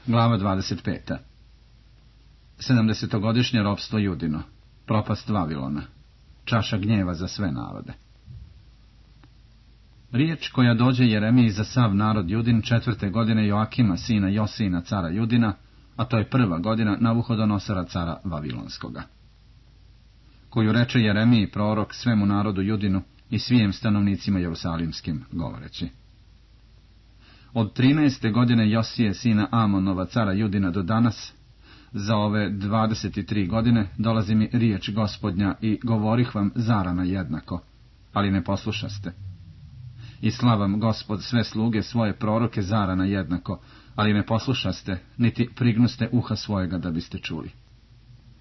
Glava 25. 70-godišnje ropstvo Judino, propast Vavilona, čaša gnjeva za sve narode. Riječ koja dođe Jeremiji za sav narod Judin 4. godine Joakima, sina Josijina, cara Judina, a to je 1. godina Navuhodonosora, cara Vavilonskoga. Koju reče Jeremiji prorok svemu narodu Judinu i svijem stanovnicima Jerusalimskim, govoreći: Od 13. godine Josije, sina Amonova, cara Judina, do danas, za ove 23 godine, dolazi mi riječ Gospodnja i govorih vam zarana jednako, ali ne poslušaste. I slavam Gospod sve sluge svoje proroke zarana jednako, ali ne poslušaste, niti prignuste uha svojega da biste čuli.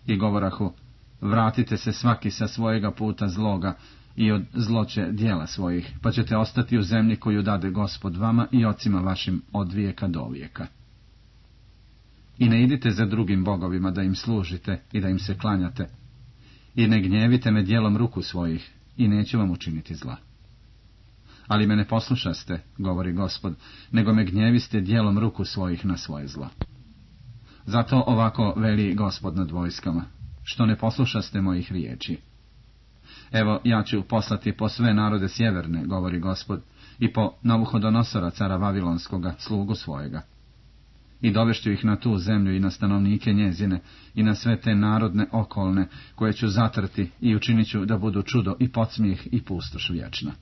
I govorahu: Vratite se svaki sa svojega puta zloga i od zloće dijela svojih, pa ćete ostati u zemlji koju dade Gospod vama i ocima vašim od vijeka do vijeka. I ne idite za drugim bogovima da im služite i da im se klanjate, i ne gnjevite me djelom ruku svojih, i neću vam učiniti zla. Ali me ne poslušaste, govori Gospod, nego me gnjeviste djelom ruku svojih na svoje zlo. Zato ovako veli Gospod nad vojskama: što ne poslušaste mojih riječi. Evo, ja ću poslati po sve narode sjeverne, govori Gospod, i po Navuhodonosora, cara Vavilonskoga, slugu svojega. I dovešću ih na tu zemlju i na stanovnike njezine i na sve te narodne okolne, koje ću zatrti, i učinit ću da budu čudo i podsmijeh i pustoš vječna.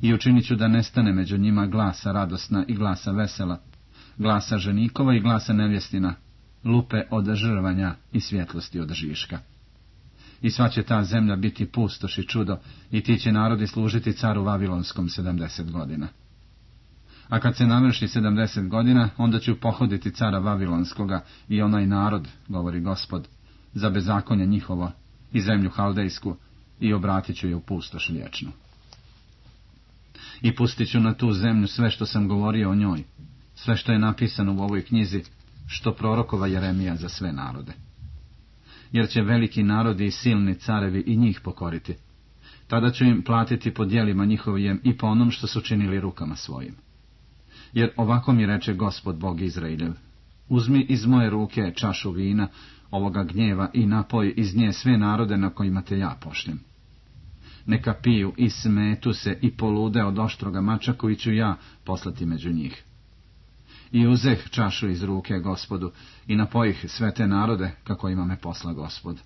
I učinit ću da nestane među njima glasa radosna i glasa vesela, glasa ženikova i glasa nevjestina, lupe od žrvanja i svjetlosti od žiška. I sva će ta zemlja biti pustoš i čudo, i ti će narodi služiti caru Vavilonskom 70 godina. A kad se navrši 70 godina, onda ću pohoditi cara Vavilonskoga i onaj narod, govori Gospod, za bezakonje njihovo i zemlju Haldejsku, i obratit ću je u pustoš vječnu. I pustit ću na tu zemlju sve što sam govorio o njoj, sve što je napisano u ovoj knjizi, što prorokova Jeremija za sve narode. Jer će veliki narodi i silni carevi i njih pokoriti. Tada ću im platiti po djelima njihovijem i po onom što su činili rukama svojim. Jer ovako mi reče Gospod Bog Izraeljev: uzmi iz moje ruke čašu vina, ovoga gnjeva, i napoj iz nje sve narode na kojima te ja pošljem. Neka piju i smetu se i polude od oštroga mača koji ću ja poslati među njih. I uzeh čašu iz ruke Gospodu i napojih sve te narode kako ima me posla Gospod.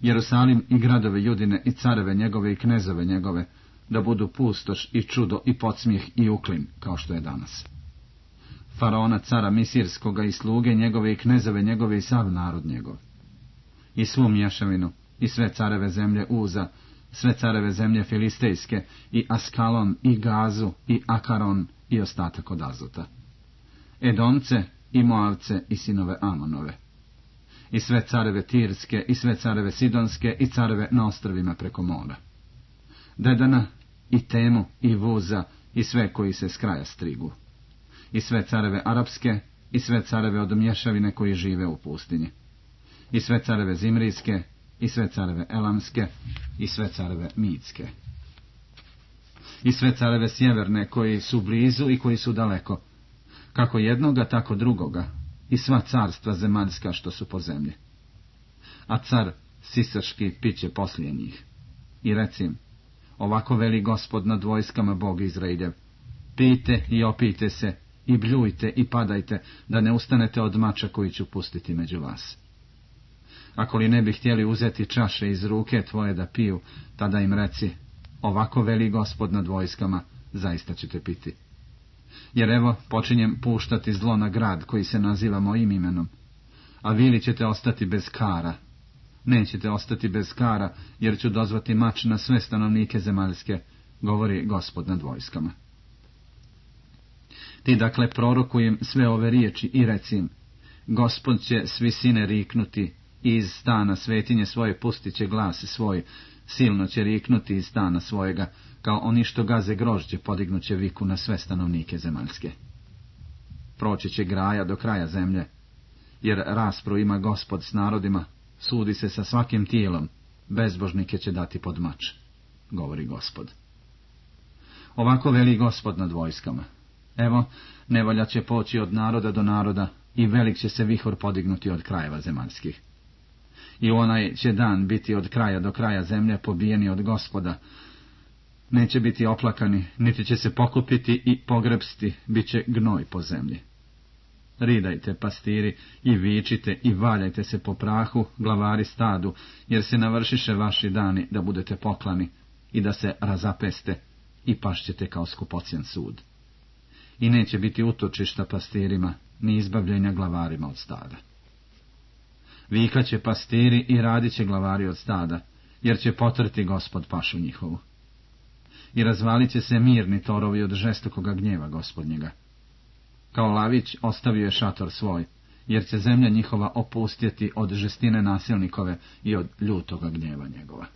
Jerusalim i gradove Judine i careve njegove i knezove njegove, da budu pustoš i čudo i podsmijeh i uklin, kao što je danas. Faraona cara Misirskoga i sluge njegove i knezove njegove i sav narod njegov. I svu mješavinu i sve careve zemlje Uza, sve careve zemlje Filistejske i Askalon i Gazu i Akaron i ostatak od Azota. Edomce i Moavce i sinove Amonove. I sve careve Tirske i sve careve Sidonske i careve na ostrovima preko mora. Dedana i Temu i Vuza i sve koji se s kraja strigu. I sve careve Arapske i sve careve od mješavine koji žive u pustinji. I sve careve Zimrijske i sve careve Elamske i sve careve Mitske. I sve careve sjeverne koji su blizu i koji su daleko, kako jednoga tako drugoga, i sva carstva zemaljska što su po zemlji. A car Sisaški piće poslije njih. I recim: ovako veli Gospod nad vojskama Bog Izraeljev: pijte i opijte se, i bljujte i padajte, da ne ustanete od mača koji ću pustiti među vas. Ako li ne bi htjeli uzeti čaše iz ruke tvoje da piju, tada im reci: ovako veli Gospod nad vojskama, zaista ćete piti. Jer evo, počinjem puštati zlo na grad koji se naziva mojim imenom, a vi li ćete ostati bez kara? Nećete ostati bez kara, jer ću dozvati mač na sve stanovnike zemaljske, govori Gospod nad vojskama. Ti dakle prorokujem sve ove riječi i recim: Gospod će s visine riknuti, i iz stana svetinje svoje pustit će glas svoj, silno će riknuti iz stana svojega, kao oni što gaze grožđe podignut će viku na sve stanovnike zemaljske. Proći će graja do kraja zemlje, jer raspru ima Gospod s narodima, sudi se sa svakim tijelom, bezbožnike će dati pod mač, govori Gospod. Ovako veli Gospod nad vojskama: Evo, nevolja će poći od naroda do naroda i velik će se vihor podignuti od krajeva zemaljskih. I onaj će dan biti od kraja do kraja zemlje pobijeni od Gospoda. Neće biti oplakani, niti će se pokupiti i pogrebsti, bit će gnoj po zemlji. Ridajte, pastiri, i vičite i valjajte se po prahu, glavari stadu, jer se navršiše vaši dani da budete poklani i da se razapeste i pašćete kao skupocjen sud. I neće biti utočišta pastirima, ni izbavljenja glavarima od stada. Vikaće pastiri i radit će glavari od stada, jer će potrti Gospod pašu njihovu. I razvalit će se mirni torovi od žestokoga gnjeva Gospodnjega. Kao lavić ostavio je šator svoj, jer će zemlja njihova opustjeti od žestine nasilnikove i od ljutoga gnjeva njegova.